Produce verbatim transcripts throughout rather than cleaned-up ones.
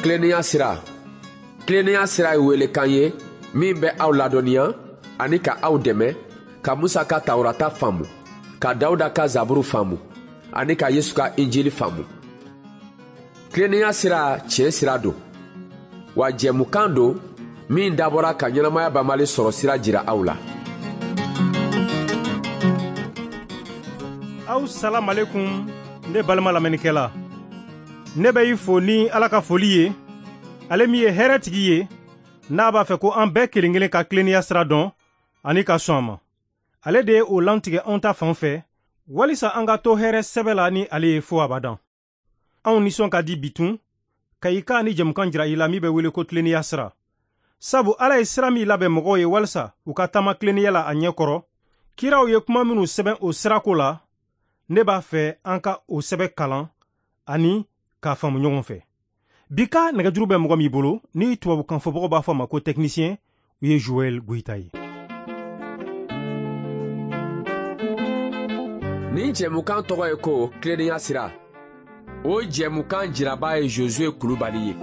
Tilennenya sira. Tilennenya sira ye welekan ye min bɛ aw ladɔnniya ani ka aw dɛmɛ ka Musa ka Tawurata faamu, ka Dawuda ka Zaburu faamu ani ka Yesu ka Injili faamu. Tilennenya sira tiɲɛ sira don, wa jɛmukan don min dabɔra ka ɲɛnamaya banbali sɔrɔ sira jira aw la. Aw salam alaikum ne balima lamɛnnikɛla. Ne bɛ i fo ni Ala ka foli ye, ale min ye hɛrɛtigi ye, n'a b'a fɛ ko an bɛɛ kelen kelen ka tilennenya sira dɔn ani ka sɔn a ma. Ale de ye o lantigɛ anw ta fan fɛ, walisa an ka to hɛrɛ sɛbɛ la ni ale ye fo abadan. Anw nisɔn ka di bitun, ka i ka ni jɛmukan jira i la min bɛ wele ko tilennenya sira. Sabu Ala ye sira min labɛn mɔgɔw ye walisa u ka taama tilennenya la a ɲɛ kɔrɔ, kiraw ye kuma minnu sɛbɛn o sirako la, ne b'a fɛ an ka o sɛbɛn kalan ani k'a faamu ɲɔgɔn fɛ. Bi ka nɛgɛjuru bɛ mɔgɔ min bolo, ni tubabukan fɔbagaw b'a fɔ a ma ko technicien, o ye Joël Goïta ye. Nin jɛmukan tɔgɔ ye ko tilennenya sira. O jɛmukan jiraba ye Josué Kulubali ye.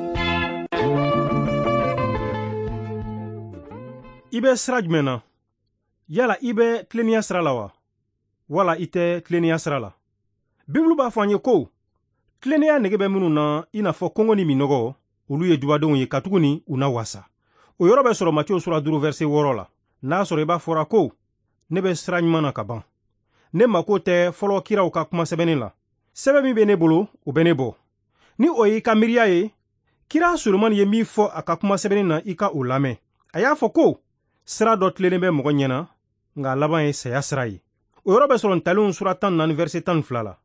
I bɛ sira jumɛn na? Yala i bɛ tilennenya sira la wa? Wala i tɛ tilennenya sira la? Bibulu b'a fɔ an ye ko tilennenya nege bɛ minnu na i n'a fɔ kɔngɔ ni minɔgɔ, olu ye dubadenw ye katuguni u na wasa. O yɔrɔ bɛ sɔrɔ Matiyo sura duuru verset wɔɔrɔ la. N'a sɔrɔ i b'a fɔra ko ne bɛ sira ɲuman na ka ban, ne mako tɛ fɔlɔ kiraw ka kuma sɛbɛnni la, sɛbɛn min bɛ ne bolo o bɛ ne bɔ. Ni o y'i ka miiriya ye, kira Solomani ye min fɔ a ka kuma sɛbɛnni na, i ka o lamɛn. A y'a fɔ ko sira dɔ tilennen bɛ mɔgɔ ɲɛna, nka a laban ye saya sira ye. O yɔrɔ bɛ sɔrɔ Ntalenw sura tan naani verset tan ni fila la.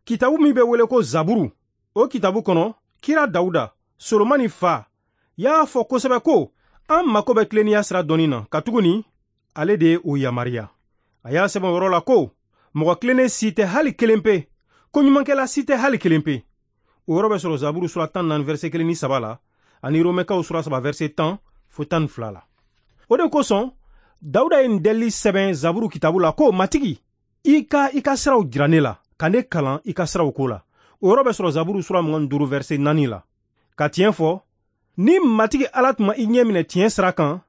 Kitabu min bɛ wele ko Zaburu, o kitabu kɔnɔ, kira Dawuda, Solomani fa, y'a fɔ kosɛbɛ ko an mako bɛ tilennenya sira dɔnni na, katuguni ale de ye o yamaruya. A y'a sɛbɛn o yɔrɔ la ko mɔgɔ tilennen si tɛ hali kelen pe, ko ɲumankɛla si tɛ hali kelen pe. O yɔrɔ bɛ sɔrɔ Zaburu sura tan naani verset kelen ni saba la, ani Romɛkaw sura saba verset tan fo tan ni fila la. O de kosɔn Dawuda ye nin delili sɛbɛn Zaburu kitabu la ko Matigi, i ka i ka siraw jira ne la, ka ne kalan i ka siraw ko la. O yɔrɔ bɛ sɔrɔ Zaburu sura mugan ni duuru verset naani la. Ka tiɲɛ fɔ, ni Matigi Ala tun ma i ɲɛ minɛ tiɲɛ sira kan,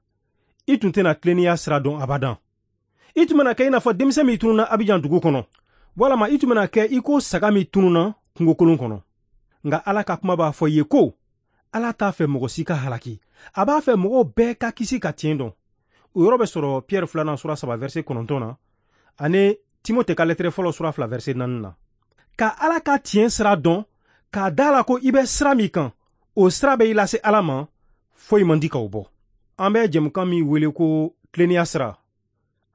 i tun tɛna tilennenya sira dɔn abadan. I tun bɛna kɛ i n'a fɔ denmisɛn min tununna Abijan dugu kɔnɔ, walama i tun bɛna kɛ i ko saga min tununna kungokolon kɔnɔ. Nka Ala ka kuma b'a fɔ i ye ko Ala t'a fɛ mɔgɔ si ka halaki, a b'a fɛ mɔgɔw bɛɛ ka kisi ka tiɲɛ dɔn. O yɔrɔ bɛ sɔrɔ Pierre filanan sura saba verset kɔnɔntɔn na, ani Timote ka lɛtɛrɛ fɔlɔ sura fila verset naani na. Ka Ala ka tiɲɛ sira dɔn, k'a da la ko i bɛ sira min kan, o sira bɛ i lase Ala ma, foyi man di k'o bɔ. An bɛ jɛmukan min wele ko tilennenya sira,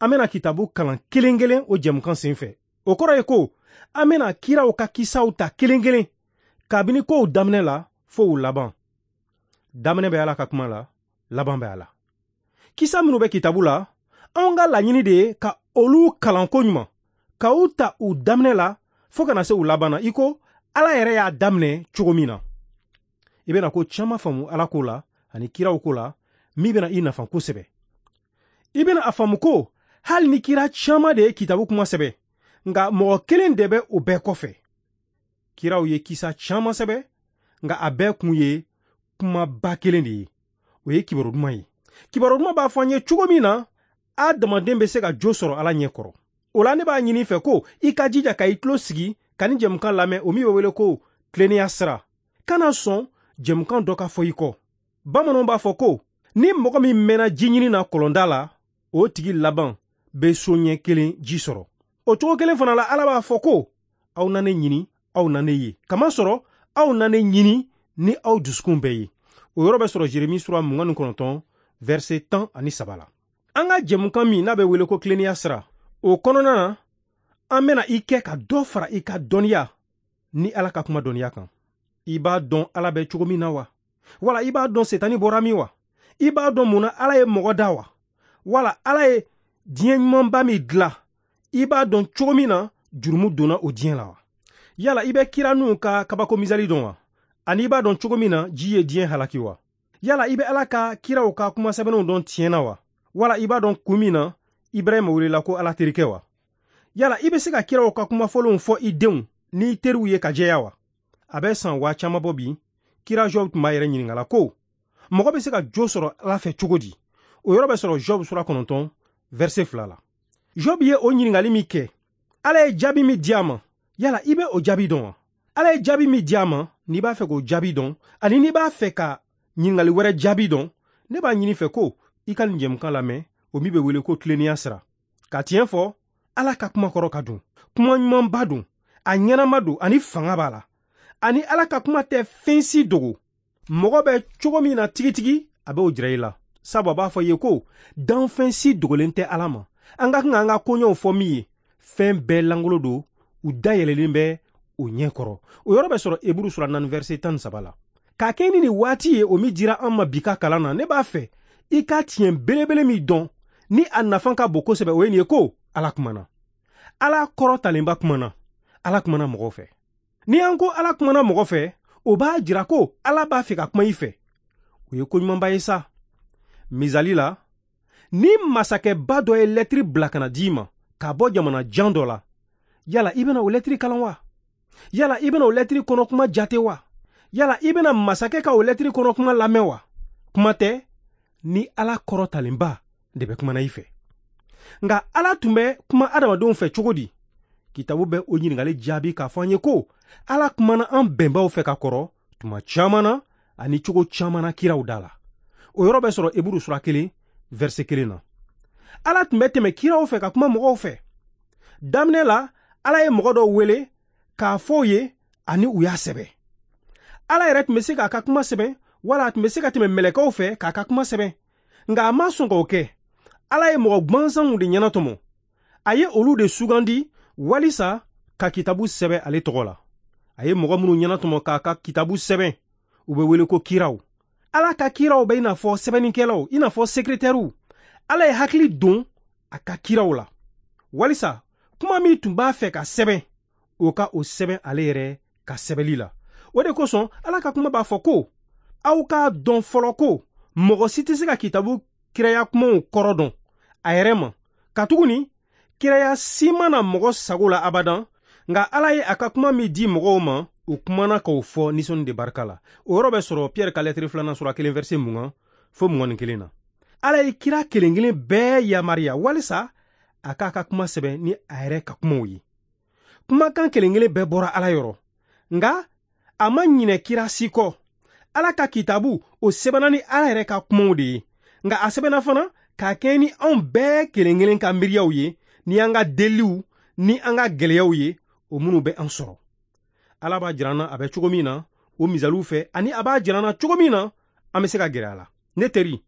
an bɛna kitabu kalan kelen kelen o jɛmukan sen fɛ. O kɔrɔ ye ko an bɛna kiraw ka kisaw ta kelen kelen, kabini kow daminɛ la fo u laban. Daminɛ bɛ Ala ka kuma la, laban bɛ a la. Kisa minnu bɛ kitabu la, anw ka laɲini de ye ka olu kalan ko ɲuman, ka u ta u daminɛ la fo kana se u laban na, i ko Ala yɛrɛ y'a daminɛ cogo min na. I bɛna ko caman faamu Ala ko la ani kiraw ko la min bɛna i nafa kosɛbɛ. I bɛna a faamu ko hali ni kira caman de ye kitabu kuma sɛbɛn, nka mɔgɔ kelen de bɛ o bɛɛ kɔfɛ. Kiraw ye kisa caman sɛbɛn, nka a bɛɛ kun ye kumaba kelen de ye, o ye kibaru duman ye. Kibaru duman b'a fɔ an ye cogo min na adamaden bɛ se ka jo sɔrɔ Ala ɲɛ kɔrɔ. O la ne b'a ɲini fɛ ko i ka jija ka i tulo sigi ka ni jɛmukan lamɛn, o min bɛ wele ko tilennenya sira. Kana sɔn jɛmukan dɔ ka fɔ i kɔ. Bamananw b'a fɔ ko ni mɔgɔ min mɛnna ji ɲini na kɔlɔnda la, o tigi laban bɛ so ɲɛ kelen ji sɔrɔ. O cogo kelen fana la, Ala b'a fɔ ko aw na ne ɲini, aw na ne ye, kamasɔrɔ aw na ne ɲini ni aw dusukun bɛɛ ye. O yɔrɔ bɛ sɔrɔ Jeremi sura mugan ni kɔnɔntɔn verset tan ani saba la. An ka jɛmukan min n'a bɛ wele ko tilennenya sira, o kɔnɔna na an bɛna i kɛ ka dɔ fara i ka dɔnniya ni Ala ka kuma dɔnniya kan. I b'a dɔn Ala bɛ cogo min na wa? Wala i b'a dɔn Setani bɔra min wa? I b'a dɔn mun na Ala ye mɔgɔ da wa? Wala Ala ye diɲɛ ɲumanba min dilan, i b'a dɔn cogo min na jurumu donna o diɲɛ la wa? Yala i bɛ kira ninnu ka kabako misali dɔn wa? Ani i b'a dɔn cogo min na ji ye diɲɛ halaki wa? Yala i bɛ Ala ka kiraw ka kuma sɛbɛnnenw dɔn tiɲɛ na wa? Wala i b'a dɔn kun min na Ibrahima welela ko Ala terikɛ wa? Yala i bɛ se ka kiraw ka kuma fɔlenw fɔ i denw n'i teriw ye ka jɛya wa? A bɛ san waa caman bɔ bi, Kira Job tun b'a yɛrɛ ɲininka la ko mɔgɔ bɛ se ka jo sɔrɔ Ala fɛ cogo di? O yɔrɔ bɛ sɔrɔ Job sura kɔnɔntɔn verset fila la. Job ye o ɲininkali min kɛ, Ala ye jaabi min di a ma, yala i bɛ o jaabi dɔn wa? Ala ye jaabi min di a ma, n'i b'a fɛ k'o jaabi dɔn, ani n'i b'a fɛ ka ɲininkali wɛrɛ jaabi dɔn, ne b'a ɲini fɛ ko i ka nin jɛmukan lamɛn, o min bɛ wele ko tilennenya sira. Ka tiɲɛ fɔ, Ala ka kuma kɔrɔ ka dun, kuma ɲumanba don, a ɲɛnama don, ani fanga b'a la. Ani Ala ka kuma tɛ fɛn si dogo. Mɔgɔ bɛ cogo min na tigitigi, a b'o jira i la. Sabu a b'a fɔ i ye ko danfɛn si dogolen tɛ Ala ma. An ka kan k'an ka koɲɛw fɔ min ye, fɛn bɛɛ langolo don, u dayɛlɛlen bɛ o ɲɛ kɔrɔ. O yɔrɔ bɛ sɔrɔ Eburu sura naani verset tan ni saba la. K'a kɛ ni nin waati ye o min dira an ma bi ka kalan na, ne b'a fɛ i ka tiɲɛ belebele min dɔn ni a nafa ka bon kosɛbɛ, o ye nin ye ko Ala kumana. Ala kɔrɔtalenba kumana. Ala kumana mɔgɔw fɛ. Ni an ko Ala kumana mɔgɔ fɛ, o b'a jira ko Ala b'a fɛ ka kuma i fɛ. O ye ko ɲumanba ye sa. Misali la, ni masakɛba dɔ ye lɛtiri bila ka na d'i ma k'a bɔ jamana jan dɔ la, yala i bɛna o lɛtiri kalan wa? Yala i bɛna o lɛtiri kɔnɔ kuma jate wa? Yala i bɛna masakɛ ka o lɛtiri kɔnɔ kuma lamɛn wa? Kuma tɛ ni Ala kɔrɔtalenba de bɛ kumana i fɛ. Nka Ala tun bɛ kuma adamadenw fɛ cogo di? Kitabu bɛ o ɲininkali jaabi k'a fɔ an ye ko Ala kumana an bɛnbaw fɛ ka kɔrɔ tuma caman na ani cogo caman na kiraw da la. O yɔrɔ bɛ sɔrɔ Eburu sura kelen verset kelen na. Ala tun bɛ tɛmɛ kiraw fɛ ka kuma mɔgɔw fɛ. Daminɛ la, Ala ye mɔgɔ dɔw wele k'a fɔ u ye ani u y'a sɛbɛn. Ala yɛrɛ tun bɛ se k'a ka kuma sɛbɛn, wala a tun bɛ se ka tɛmɛ mɛlɛkɛw fɛ k'a ka kuma sɛbɛn. Nka a ma sɔn k'o kɛ. Ala ye mɔgɔ gwansanw de ɲɛnatɔmɔ. A ye olu de sugandi walisa ka kitabu sɛbɛn ale tɔgɔ la. A ye mɔgɔ minnu ɲɛnatɔmɔ k'a ka kitabu sɛbɛn, u bɛ wele ko kiraw. Ala ka kiraw bɛ i n'a fɔ sɛbɛnnikɛlaw, i n'a fɔ sekretɛriw. Ala ye hakili don a ka kiraw la walisa kuma min tun b'a fɛ ka sɛbɛn, o ka o sɛbɛn ale yɛrɛ ka sɛbɛnli la. O de kosɔn Ala ka kuma b'a fɔ ko aw k'a dɔn fɔlɔ ko mɔgɔ si tɛ se ka kitabu kiraya kumaw kɔrɔ dɔn a yɛrɛ ma, katuguni kiraya si ma na mɔgɔ sago la abadan. Nka Ala ye a ka kuma min di mɔgɔw ma, u kumana k'o fɔ nisɔndi de barika la. O yɔrɔ bɛ sɔrɔ Pierre ka lɛtiri filanan sura kelen verset mugan fo mugan ni kelen na. Ala ye kira kelen kelen bɛɛ yamaruya walisa a k'a ka kuma sɛbɛn ni a yɛrɛ ka kumaw ye. Kumakan kelen kelen bɛɛ bɔra Ala yɔrɔ, nka a ma ɲinɛ kira si kɔ. Ala ka kitabu o sɛbɛnna ni Ala yɛrɛ ka kumaw de ye, nka a sɛbɛnna fana k'a kɛ ni anw bɛɛ kelen kelen ka miiriyaw ye, ni an ka deliw ni an ka gɛlɛyaw ye, o minnu bɛ an sɔrɔ. Ala b'a jira an na a bɛ cogo min na o misaliw fɛ, ani a b'a jira an na cogo min na an bɛ se ka gɛrɛ a la. Ne teri,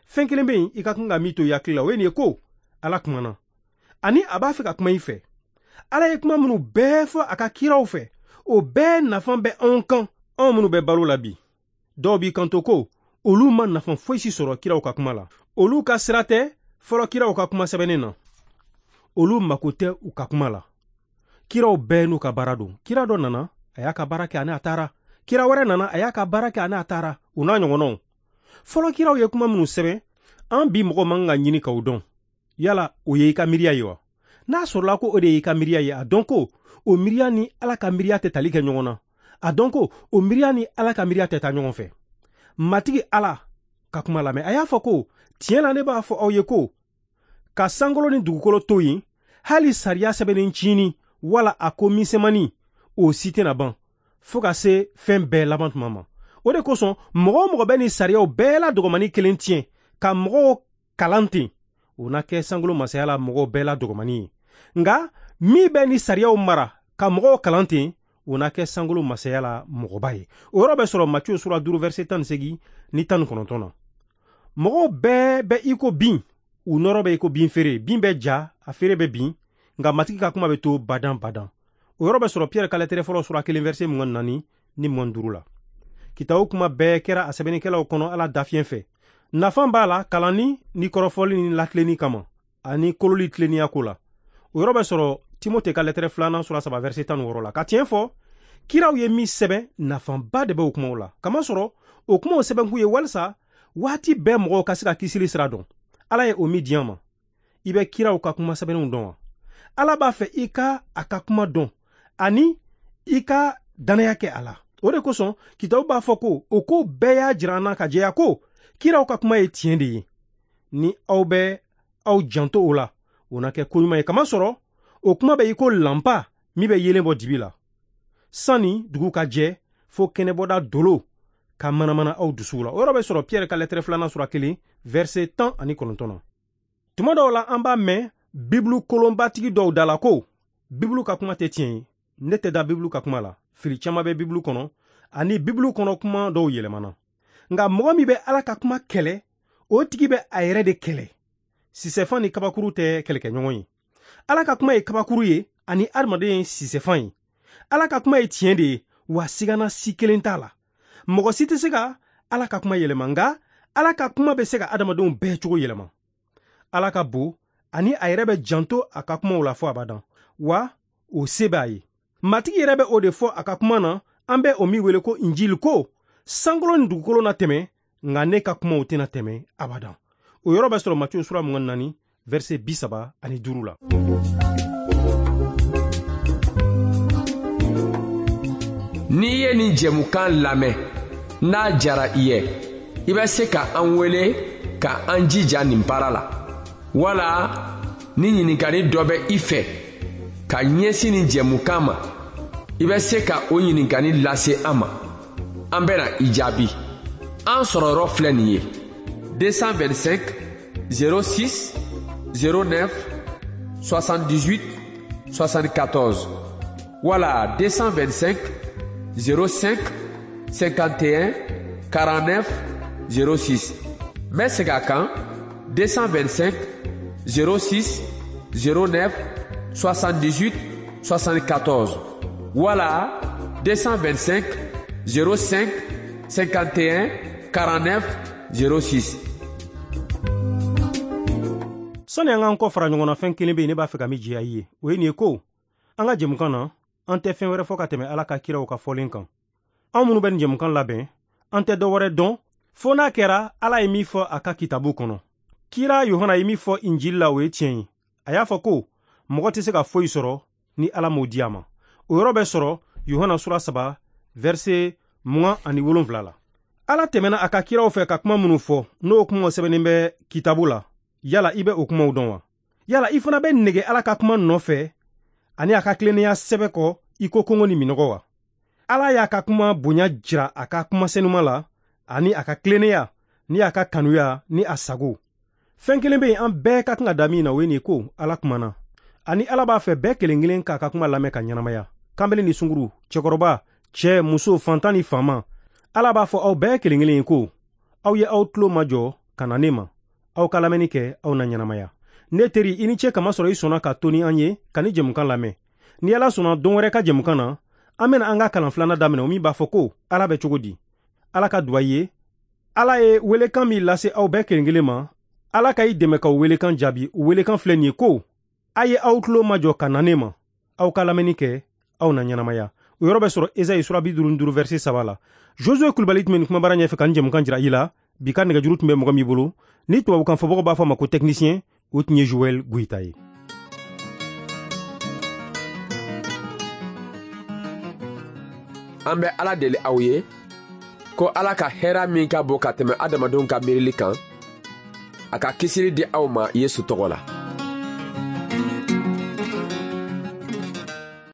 fɛn kelen bɛ yen i ka kan ka min to i hakili la, o ye nin ye ko Ala kumana, ani a b'a fɛ ka kuma i fɛ. Ala ye kuma minnu bɛɛ fɔ a ka kiraw fɛ, o bɛɛ nafa bɛ anw kan, anw minnu bɛ balo la bi. Dɔw b'i kanto ko olu ma nafa foyi si sɔrɔ kiraw ka kuma la. Olu ka sira tɛ fɔlɔ kiraw ka kuma sɛbɛnnen na. Olu mako tɛ u ka kuma la. Kiraw bɛɛ n'u ka baara don. Kira dɔ nana, a y'a ka baara kɛ ani a taara. Kira wɛrɛ nana, a y'a ka baara kɛ ani a taara. U n'a ɲɔgɔnnaw. Fɔlɔ kiraw ye kuma minnu sɛbɛn, an bi mɔgɔ man ka ɲini k'o dɔn. Yala o ye i ka miiriya ye wa? N'a sɔrɔla ko o de y'i ka miiriya ye, a dɔn ko o miiriya ni Ala ka miiriya tɛ tali kɛ ɲɔgɔn na. A dɔn ko o miiriya ni Ala ka miiriya tɛ taa ɲɔgɔn fɛ. Matigi Ala ka kuma lamɛn. A y'a fɔ ko tiɲɛ la ne b'a fɔ aw ye ko ka sankolo ni dugukolo to yen, hali sariya sɛbɛnnen cini wala a ko misɛnmanin, o si tɛna ban fo ka se fɛn bɛɛ laban tuma ma. O de kosɔn mɔgɔ o mɔgɔ bɛ nin sariyaw bɛɛ la dɔgɔmani kelen tiɲɛ ka mɔgɔw kalan ten, o na kɛ sankolo masaya la mɔgɔw bɛɛ la dɔgɔmani ye. Nka min bɛ nin sariyaw mara ka mɔgɔw kalan ten, o na kɛ sankolo masaya la mɔgɔba ye. O yɔrɔ bɛ sɔrɔ Matiyu sura duuru verset tan ni seegin ni tan ni kɔnɔntɔn na. Mɔgɔw bɛɛ bɛ i ko bin, u nɔrɔ bɛ i ko bin feere. Bin bɛ ja, a feere bɛ bin, nka Matigi ka kuma bɛ to badan badan. O yɔrɔ bɛ sɔrɔ Pierre ka lɛtɛrɛ fɔlɔ sura kelen verset mugan ni naani ni mugan ni duuru la. Kitabu kuma bɛɛ kɛra a sɛbɛnnikɛlaw kɔnɔ Ala dafiɲɛ fɛ. Nafa b'a la kalanni ni kɔrɔfɔli ni latilenni kama, ani kololi tilennenya ko la. O yɔrɔ bɛ sɔrɔ Timote ka lɛtɛrɛ filanan sura saba verset tan ni wɔɔrɔ la. Ka tiɲɛ fɔ, kiraw ye min sɛbɛn, nafaba de bɛ o kumaw la. Kamasɔrɔ o kumaw sɛbɛnkun ye walisa waati bɛɛ mɔgɔw ka se ka kisili sira dɔn. Ala ye o min di an ma. I bɛ kiraw ka kuma sɛbɛnnenw dɔn wa? Ala b'a fɛ i ka a ka kuma dɔn ani i ka danaya kɛ a la. O de kosɔn kitabu b'a fɔ ko o ko bɛɛ y'a jira an na ka jɛya ko kiraw ka kuma ye tiɲɛ de ye. Ni aw bɛ aw janto o la, o na kɛ koɲuman ye, kamasɔrɔ o kuma bɛ i ko lanpa min bɛ yeelen bɔ dibi la sanni dugu ka jɛ, fo kɛnɛbɔda dolo ka manamana aw dusuw la. O yɔrɔ bɛ sɔrɔ Piyɛri ka lɛtɛrɛ filanan sura kelen verset tan ani kɔnɔntɔn na. Tuma dɔw la an b'a mɛn Bibulu kolonbatigi dɔw da la ko Bibulu ka kuma tɛ tiɲɛ ye. Ne tɛ da Bibulu ka kuma la. Fili caman bɛ Bibulu kɔnɔ ani Bibulu kɔnɔ kuma dɔw yɛlɛmana. Nka mɔgɔ min bɛ Ala ka kuma kɛlɛ, o tigi bɛ a yɛrɛ de kɛlɛ. Sisɛfan ni kabakuru tɛ kɛlɛkɛɲɔgɔn ye. Ala ka kuma ye kabakuru ye ani adamaden ye sisɛfan ye. Ala ka kuma ye tiɲɛ de ye, wa sigana si kelen t'a la. Mɔgɔ si tɛ se ka Ala ka kuma yɛlɛma, nka Ala ka kuma bɛ se ka adamadenw bɛɛ cogo yɛlɛma. Ala ka bon ani a yɛrɛ bɛ janto a ka kumaw la fo abadan, wa o se b'a ye. Matigi yɛrɛ bɛ o de fɔ a ka kuma na, an bɛ o min wele ko Injili, ko sankolo ni dugukolo na tɛmɛ, nka ne ka kumaw tɛna tɛmɛ abadan. O yɔrɔ bɛ sɔrɔ Matiyu sura mugan ni naani verset bi saba ani duuru la. N'i ye nin jɛmukan lamɛn, n'a jara i ye, i bɛ se ka an wele ka an jija nin baara la. Wala ni ɲininkali dɔ bɛ i fɛ ka ɲɛsin nin jɛmukan ma, i bɛ se ka o ɲininkali lase an ma. An bɛna i jaabi. An sɔrɔyɔrɔ filɛ nin ye: deux cent vingt-cinq zéro six zéro neuf soixante-dix-huit soixante-quatorze wala deux cent vingt-cinq zéro cinq cinquante et un quarante-neuf zéro six. N bɛ segin a kan: deux cent vingt-cinq zéro six zéro neuf soixante-dix-huit soixante-quatorze wala deux cent vingt-cinq zéro cinq cinquante et un quarante-neuf zéro six. Sani an k'an kɔ fara ɲɔgɔn na, fɛn kelen bɛ yen ne b'a fɛ ka min jɛya i ye, o ye nin ye ko an ka jɛmukan na, an tɛ fɛn wɛrɛ fɔ ka tɛmɛ Ala ka kiraw ka fɔlen kan. Anw minnu bɛ nin jɛmukan labɛn, an tɛ dɔ wɛrɛ dɔn fo n'a kɛra Ala ye min fɔ a ka kitabu kɔnɔ. Kira Yohana ye min fɔ Injili la, o ye tiɲɛ ye. A y'a fɔ ko mɔgɔ tɛ se ka foyi sɔrɔ ni Ala m'o di a ma. O yɔrɔ bɛ sɔrɔ Yohana sura saba verset mugan ani wolonfila la. Ala tɛmɛna a ka kiraw fɛ ka kuma minnu fɔ, n'o kumaw sɛbɛnnen bɛ kitabu la, yala i bɛ o kumaw dɔn wa? Yala i fana bɛ nege Ala ka kuma nɔfɛ ani a ka tilennenya sɛbɛ kɔ i ko kɔngɔ ni minɔgɔ wa? Ala y'a ka kuma bonya jira a ka kuma senuma la ani a ka tilennenya ni a ka kanuya ni a sago. Fɛn kelen bɛ yen an bɛɛ ka kan ka da min na, o ye nin ko Ala kumana. Ani Ala b'a fɛ bɛɛ kelen kelen k'a ka kuma lamɛn ka ɲɛnamaya. Kanbele ni sunguru, cɛkɔrɔba, cɛ, muso, fantan ni faama, Ala b'a fɔ aw bɛɛ kelen kelen ye ko aw ye aw tulo majɔ ka na ne ma, aw ka lamɛnni kɛ, aw na ɲɛnamaya. Ne teri, i ni ce kamasɔrɔ i sɔnna ka to ni an ye ka ni jɛmukan lamɛn. Ni Ala sɔnna don wɛrɛ ka jɛmukan na, an bɛna an ka kalan filanan daminɛ, o min b'a fɔ ko Ala bɛ cogo di. Ala ka duwa ye. Ala ye welekan min lase aw bɛɛ kelen kelen ma, Ala ka i dɛmɛ k'o welekan jaabi. O welekan filɛ nin ye ko a ye aw tulo majɔ ka na ne ma, aw ka lamɛnni kɛ, aw na ɲɛnamaya. O yɔrɔ bɛ sɔrɔ Esayi sura bi duuru ni duuru verset saba la. Josue Kulubali tun bɛ nin kumabara ɲɛfɛ ka nin jɛmukan jira i la. Bi ka nɛgɛjuru tun bɛ mɔgɔ min bolo, ni tubabukan fɔbagaw b'a fɔ a ma ko technicien, o tun ye Joël Goyita ye. An bɛ Ala deli aw ye ko Ala ka hɛrɛ min ka bon ka tɛmɛ adamadenw ka miirili kan, a ka kisili di aw ma Yesu tɔgɔ la.